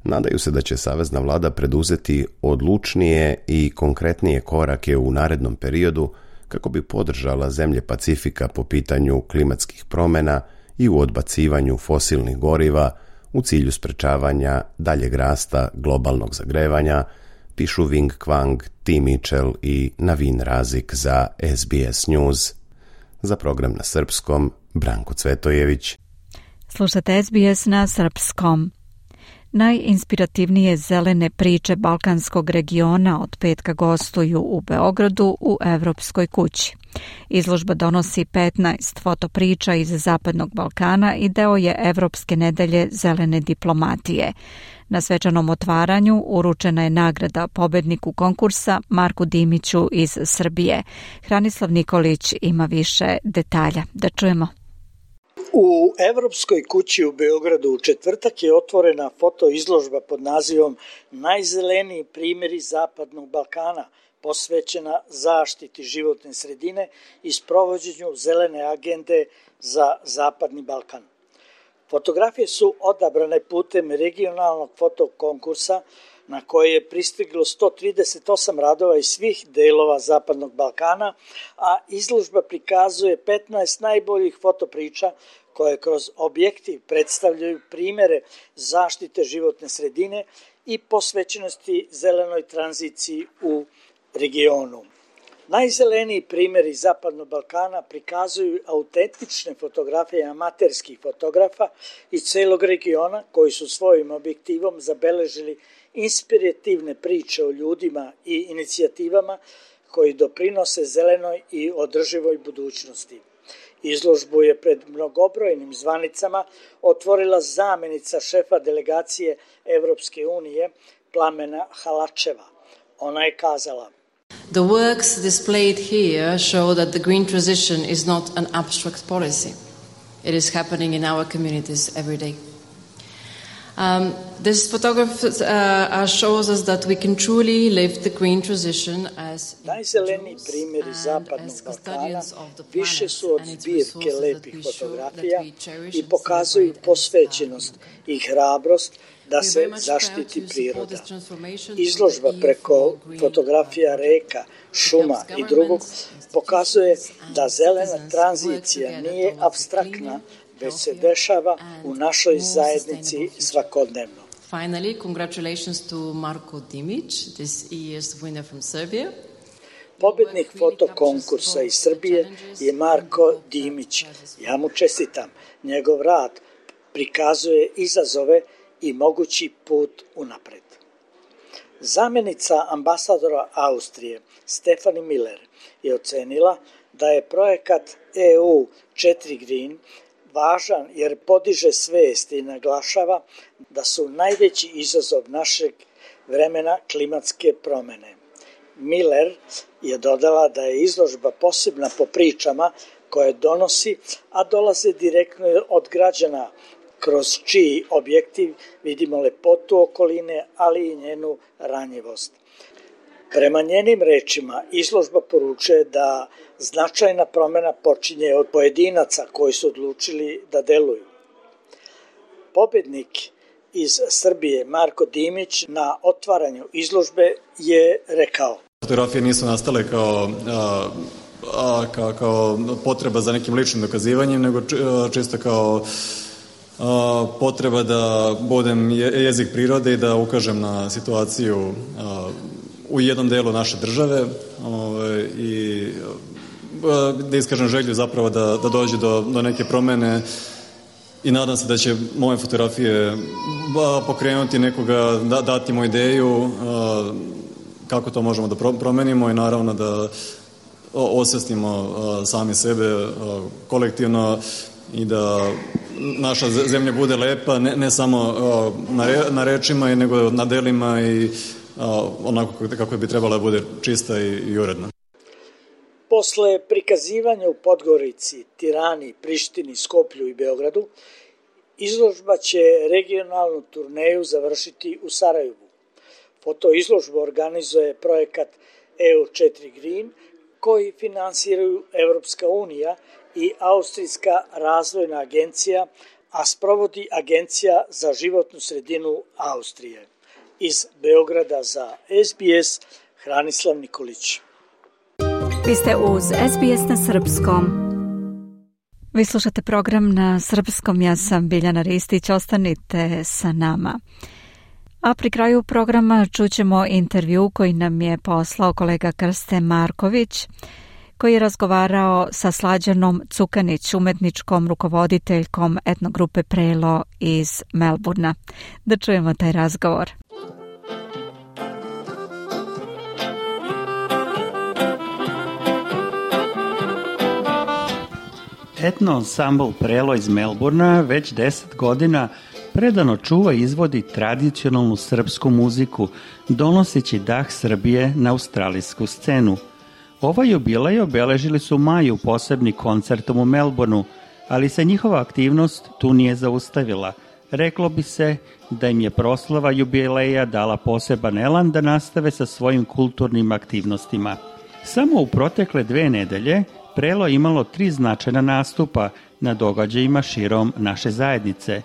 nadaju se da će savezna vlada preduzeti odlučnije i konkretnije korake u narednom periodu kako bi podržala zemlje Pacifika po pitanju klimatskih promjena i u odbacivanju fosilnih goriva u cilju sprečavanja daljeg rasta globalnog zagrevanja, pišu Wing Kwang, T. Mitchell i Navin Razik za S B S News. Za program na srpskom, Branko Cvetojević. Slušate S B S na srpskom. Najinspirativnije zelene priče balkanskog regiona od petka gostuju u Beogradu u Evropskoj kući. Izložba donosi petnaest fotopriča iz Zapadnog Balkana i deo je Evropske nedelje zelene diplomatije. Na svečanom otvaranju uručena je nagrada pobedniku konkursa Marku Dimiću iz Srbije. Hranislav Nikolić ima više detalja. Da čujemo. U Evropskoj kući u Beogradu u četvrtak je otvorena fotoizložba pod nazivom Najzeleniji primjeri Zapadnog Balkana, posvećena zaštiti životne sredine i sprovođenju zelene agende za Zapadni Balkan. Fotografije su odabrane putem regionalnog fotokonkursa na koje je pristiglo sto trideset osam radova iz svih delova Zapadnog Balkana, a izložba prikazuje petnaest najboljih fotopriča koje kroz objektiv predstavljaju primere zaštite životne sredine i posvećenosti zelenoj tranziciji u regionu. Najzeleniji primjeri Zapadnog Balkana prikazuju autentične fotografije amaterskih fotografa iz celog regiona koji su svojim objektivom zabeležili inspirativne priče o ljudima i inicijativama koji doprinose zelenoj i održivoj budućnosti. Izložbu je pred mnogobrojnim zvanicama otvorila zamenica šefa delegacije Evropske unije Plamena Halačeva. Ona je kazala: The works displayed here show that the green transition is not an abstract policy. It is happening in our communities every day. Um, this photograph uh, shows us that we can truly live the green transition as Najzeleniji primjeri Zapadnog Balkana više su od zbirke lepih fotografija i pokazuju posvećenost i hrabrost da se zaštiti priroda. Izložba preko fotografija reka, šuma i drugog pokazuje da zelena tranzicija nije apstraktna, već se dešava u našoj zajednici svakodnevno. Finally, congratulations to Marko Dimić, this year's winner from Serbia. Pobednik fotokonkursa iz Srbije je Marko Dimić. Ja mu čestitam. Njegov rad prikazuje izazove i mogući put unapred. Zamjenica ambasadora Austrije Stefanie Miller je ocenila da je projekat E U četiri Green važan jer podiže svijest i naglašava da su najveći izazov našeg vremena klimatske promjene. Miller je dodala da je izložba posebna po pričama koje donosi, a dolaze direktno od građana, kroz čiji objektiv vidimo lepotu okoline, ali i njenu ranjivost. Prema njenim rečima, izložba poručuje da značajna promjena počinje od pojedinaca koji su odlučili da deluju. Pobjednik iz Srbije Marko Dimić na otvaranju izložbe je rekao: Fotografije nisu nastale kao, a, a, kao, kao potreba za nekim ličnim dokazivanjem, nego čisto kao a, potreba da budem jezik prirode i da ukažem na situaciju a, u jednom delu naše države a, i a, da iskažem želju zapravo da, da dođe do, do neke promene i nadam se da će moje fotografije ba, pokrenuti nekoga, da, dati mu ideju a, kako to možemo da promenimo i naravno da osvestimo sami sebe kolektivno i da naša zemlja bude lepa, ne, ne samo na, re, na rečima, nego na delima i onako kako bi trebala da bude čista i, i uredna. Posle prikazivanja u Podgorici, Tirani, Prištini, Skoplju i Beogradu, izložba će regionalnu turneju završiti u Sarajevu. Fotoizložbu organizuje projekat E U četiri Green, koji finansiraju Evropska unija i Austrijska razvojna agencija, a sprovodi Agencija za životnu sredinu Austrije. Iz Beograda za S B S, Hranislav Nikolić. Vi ste uz S B S na srpskom. Vi slušate program na srpskom, ja sam Biljana Ristić, ostanite sa nama. A pri kraju programa čućemo intervju koji nam je poslao kolega Krste Marković, koji je razgovarao sa Slađanom Cukanić, umetničkom rukovoditeljkom etnogrupe Prelo iz Melburna. Da čujemo taj razgovor. Etno ansambl Prelo iz Melburna već deset godina predano čuva i izvodi tradicionalnu srpsku muziku, donoseći dah Srbije na australijsku scenu. Ovaj jubilej obeležili su u maju posebni koncertom u Melbourneu, ali se njihova aktivnost tu nije zaustavila. Reklo bi se da im je proslava jubileja dala poseban elan da nastave sa svojim kulturnim aktivnostima. Samo u protekle dve nedelje Prelo imalo tri značajna nastupa na događajima širom naše zajednice.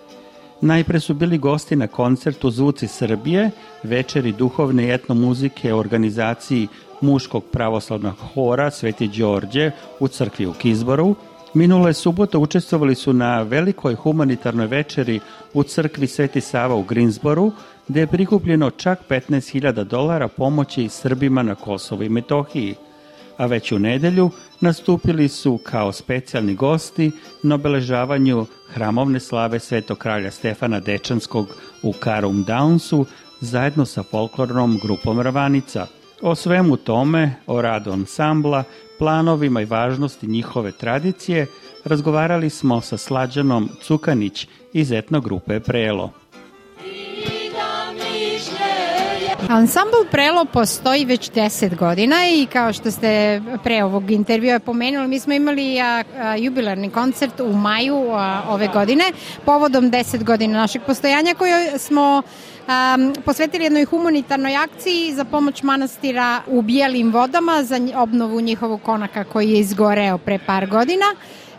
Najpre su bili gosti na koncertu Zvuci Srbije, večeri duhovne i etnomuzike u organizaciji muškog pravoslavnog hora Sveti Đorđe u crkvi u Kizboru. Minule subote učestvovali su na velikoj humanitarnoj večeri u crkvi Sveti Sava u Greensboru, gde je prikupljeno čak petnaest hiljada dolara pomoći Srbima na Kosovu i Metohiji. A već u nedelju nastupili su kao specijalni gosti na obeležavanju hramovne slave Svetog kralja Stefana Dečanskog u Carum Downsu zajedno sa folklornom grupom Ravanica. O svemu tome, o radu ansambla, planovima i važnosti njihove tradicije razgovarali smo sa Slađanom Cukanić iz etnogrupe Prelo. Ansambl Prelo postoji već deset godina i kao što ste pre ovog intervjua pomenuli, mi smo imali a, a, jubilarni koncert u maju a, ove godine povodom deset godina našeg postojanja koje smo a, posvetili jednoj humanitarnoj akciji za pomoć manastira u Bijelim vodama za obnovu njihovog konaka koji je izgoreo pre par godina.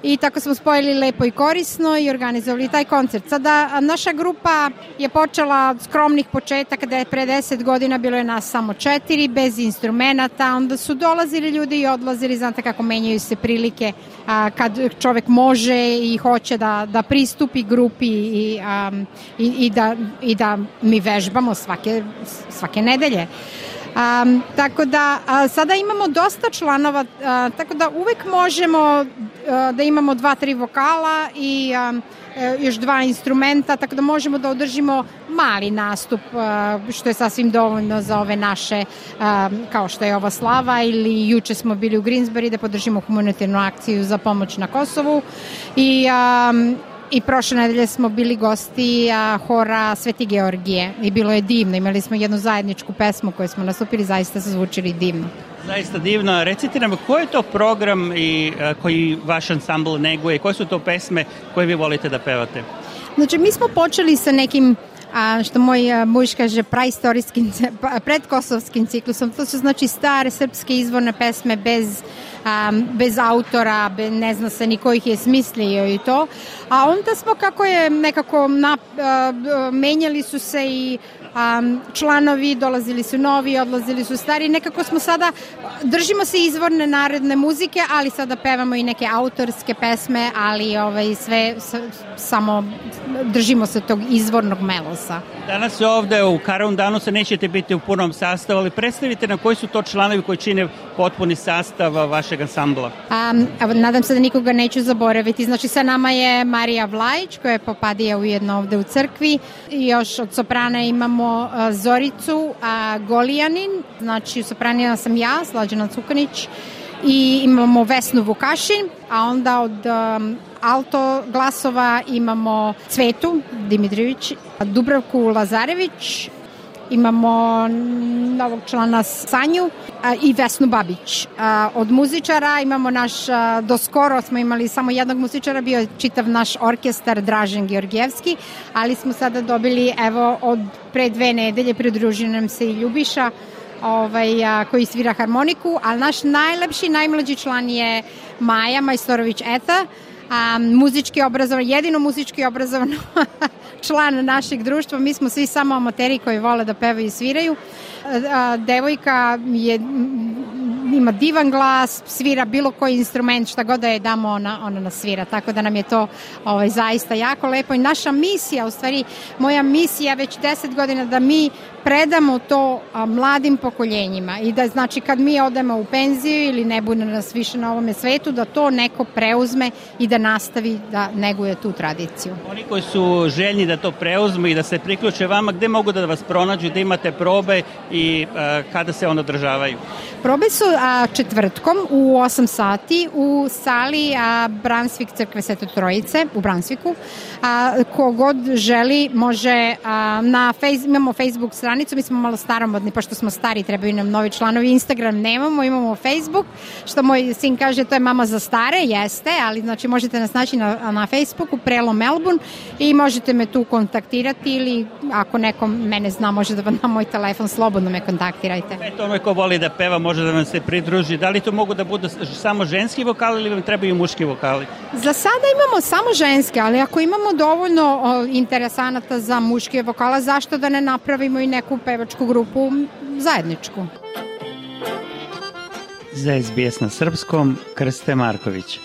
I tako smo spojili lepo i korisno i organizovali taj koncert. Sada naša grupa je počela od skromnih početaka, da je pre deset godina bilo je nas samo četiri, bez instrumenta, onda su dolazili ljudi i odlazili, znate kako menjaju se prilike a, kad čovek može i hoće da, da pristupi grupi i, a, i, i, da, i da mi vežbamo svake, svake nedelje. Um, tako da a, sada imamo dosta članova, a, tako da uvek možemo a, da imamo dva, tri vokala i a, e, još dva instrumenta, tako da možemo da održimo mali nastup, a, što je sasvim dovoljno za ove naše, a, kao što je ova slava, ili juče smo bili u Greensbury da podržimo humanitarnu akciju za pomoć na Kosovu i a, I prošle nedelje smo bili gosti a, hora Sveti Georgije i bilo je divno. Imali smo jednu zajedničku pesmu koju smo nastupili, zaista su zvučili divno. Zaista divno. Recite nam, koji je to program i, a, koji vaš ansambl neguje? Koje su to pesme koje vi volite da pevate? Znači, mi smo počeli sa nekim, a, što moj a, muž kaže, praistorijskim, predkosovskim ciklusom. To su znači stare srpske izvorne pesme bez Um, bez autora, be, ne zna se ni ko ih je smislio i to. A onda smo, kako je nekako na, uh, menjali su se i um, članovi, dolazili su novi, odlazili su stari. Nekako smo sada, držimo se izvorne narodne muzike, ali sada pevamo i neke autorske pesme, ali ovaj, sve s, samo držimo se tog izvornog melosa. Danas ovde u Karaundanu se nećete biti u punom sastavu, ali predstavite nam koji su to članovi koji čine potpuni sastav vašeg ansambla. Um, nadam se da nikoga neću zaboraviti. Znači, sa nama je Marija Vlajić, koja je popadija ujedno ovde u crkvi. I još od soprana imamo uh, Zoricu uh, Golijanin. Znači, u sopranima sam ja, Slađana Cukanić. I imamo Vesnu Vukašin, a onda od um, alto glasova imamo Cvetu Dimitrijević, Dubravku Lazarević, imamo novog člana Sanju a, i Vesnu Babić. A, od muzičara imamo naš, a, do skoro smo imali samo jednog muzičara, bio je čitav naš orkestar Dražen Georgijevski, ali smo sada dobili, evo, od pre dve nedelje pridružio nam se i Ljubiša, ovaj, a, koji svira harmoniku, ali naš najlepši, najmlađi član je Maja Majstorović-Eta, a, muzički obrazovan, jedino muzički obrazovan član našeg društva. Mi smo svi samo amateri koji vole da pevaju i sviraju. A, devojka je, ima divan glas, svira bilo koji instrument, šta god da je damo, ona, ona nas svira, tako da nam je to ovaj, zaista jako lepo. I naša misija, u stvari moja misija već deset godina, da mi predamo to a, mladim pokoljenjima i da, znači, kad mi odemo u penziju ili ne bude nas više na ovome svetu, da to neko preuzme i da nastavi da neguje tu tradiciju. Oni koji su željni da to preuzmu i da se priključe vama, gde mogu da vas pronađu, da imate probe i a, kada se on održavaju? Probe su a, četvrtkom u osam sati u sali a, Bransvik crkve Svete Trojice u Bransviku. A, kogod želi može a, na face, imamo Facebook stranicu, mi smo malo staromodni, pošto smo stari, trebaju nam novi članovi. Instagram nemamo, imamo Facebook, što moj sin kaže, to je mama za stare, jeste, ali znači možete nas naći na, na Facebooku, Prelo Melbourne, i možete me tu kontaktirati, ili ako neko mene zna, može da vam na moj telefon, slobodno me kontaktirajte. Eto, onaj ko voli da peva može da vam se pridruži. Da li to mogu da budu samo ženski vokali ili vam trebaju muški vokali? Za sada imamo samo ženske, ali ako imamo dovoljno o, interesanata za muške vokala, zašto da ne napravimo i neku pevačku grupu zajedničku? Za S B S na srpskom, Krste Marković.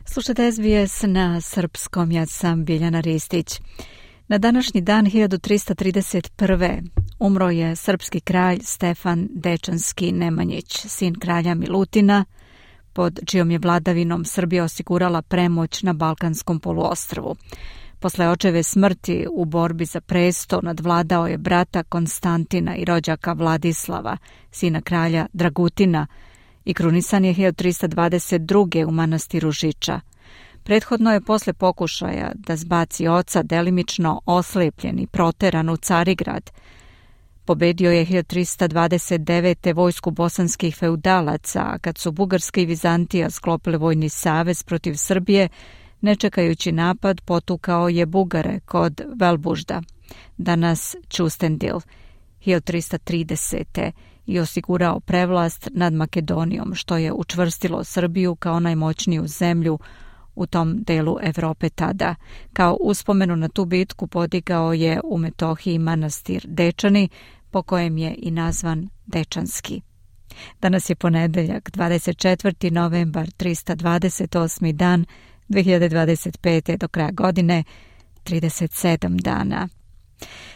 Slušajte S B S na srpskom, ja sam Biljana Ristić. Na današnji dan hiljadu trista trideset prve. umro je srpski kralj Stefan Dečanski Nemanjić, sin kralja Milutina, pod čijom je vladavinom Srbija osigurala premoć na Balkanskom poluostrvu. Posle očeve smrti u borbi za presto nadvladao je brata Konstantina i rođaka Vladislava, sina kralja Dragutina, i krunisan je hiljadu trista dvadeset druge u manastiru Žiča. Prethodno je posle pokušaja da zbaci oca delimično oslepljen i proteran u Carigrad. Pobedio je hiljadu trista dvadeset devete vojsku bosanskih feudalaca, a kad su Bugarska i Vizantija sklopile vojni savez protiv Srbije, ne čekajući napad, potukao je Bugare kod Velbužda, danas Ćustendil, hiljadu trista tridesete i osigurao prevlast nad Makedonijom, što je učvrstilo Srbiju kao najmoćniju zemlju u tom delu Evrope tada. Kao uspomenu na tu bitku podigao je u Metohiji manastir Dečani, po kojem je i nazvan Dečanski. Danas je ponedeljak, dvadeset četvrti novembar, trista dvadeset osmi dan dve hiljade dvadeset pete. do kraja godine, trideset sedam dana.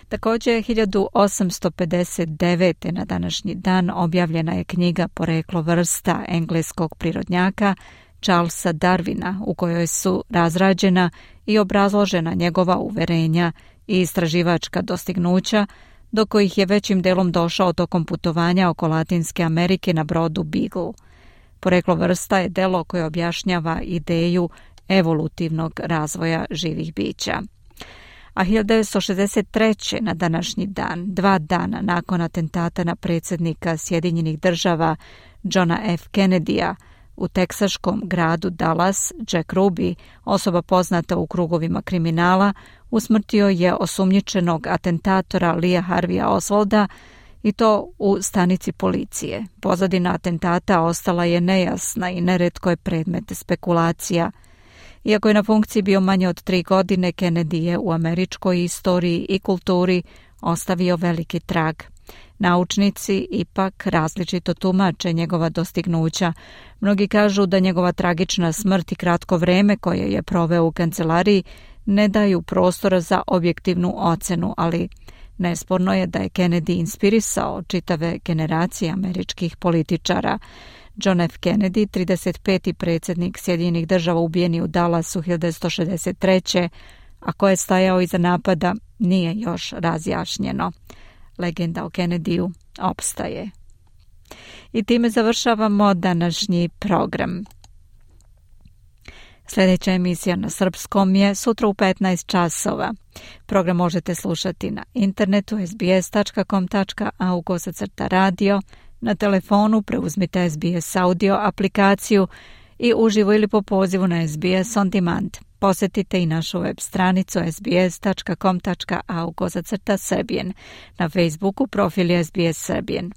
Također, hiljadu osamsto pedeset devete. na današnji dan objavljena je knjiga Poreklo vrsta engleskog prirodnjaka Charlesa Darwina, u kojoj su razrađena i obrazložena njegova uverenja i istraživačka dostignuća, do kojih je većim delom došao tokom putovanja oko Latinske Amerike na brodu Beagle. Poreklo vrsta je delo koje objašnjava ideju evolutivnog razvoja živih bića. A hiljadu devetsto šezdeset treće. na današnji dan, dva dana nakon atentata na predsjednika Sjedinjenih država Johna F. Kennedya, u teksaškom gradu Dallas, Jack Ruby, osoba poznata u krugovima kriminala, usmrtio je osumnjičenog atentatora Lee Harveya Oswalda, i to u stanici policije. Pozadina atentata ostala je nejasna i neretko je predmet spekulacija. Iako je na funkciji bio manje od tri godine, Kennedy je u američkoj istoriji i kulturi ostavio veliki trag. Naučnici ipak različito tumače njegova dostignuća. Mnogi kažu da njegova tragična smrt i kratko vreme koje je proveo u kancelariji ne daju prostora za objektivnu ocenu, ali nesporno je da je Kennedy inspirisao čitave generacije američkih političara. John F. Kennedy, trideset peti predsjednik Sjedinjenih država, ubijen je u Dallasu hiljadu devetsto šezdeset treće. a ko je stajao iza napada nije još razjašnjeno. Legenda o Kennedyu opstaje. I time završavamo današnji program. Sljedeća emisija na srpskom je sutra u petnaest časova. Program možete slušati na internetu es be es tačka com tačka a u kosacrta radio, na telefonu preuzmite es be es audio aplikaciju i uživo ili po pozivu na es be es on demand. Posjetite i našu web stranicu es be es tačka com tačka a u kosacrta Serbian. Na Facebooku profil je es be es Serbian.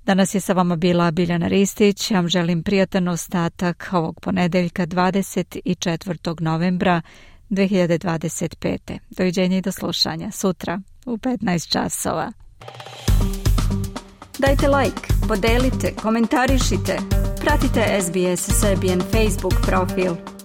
Danas je sa vama bila Biljana Ristić. Ja vam želim prijatan ostatak ovog ponedeljka dvadeset četvrtog novembra dve hiljade dvadeset pete. Doviđenja i do slušanja sutra u petnaest časova. Dajte like, podelite, komentarišite. Pratite es be es Serbian Facebook profil.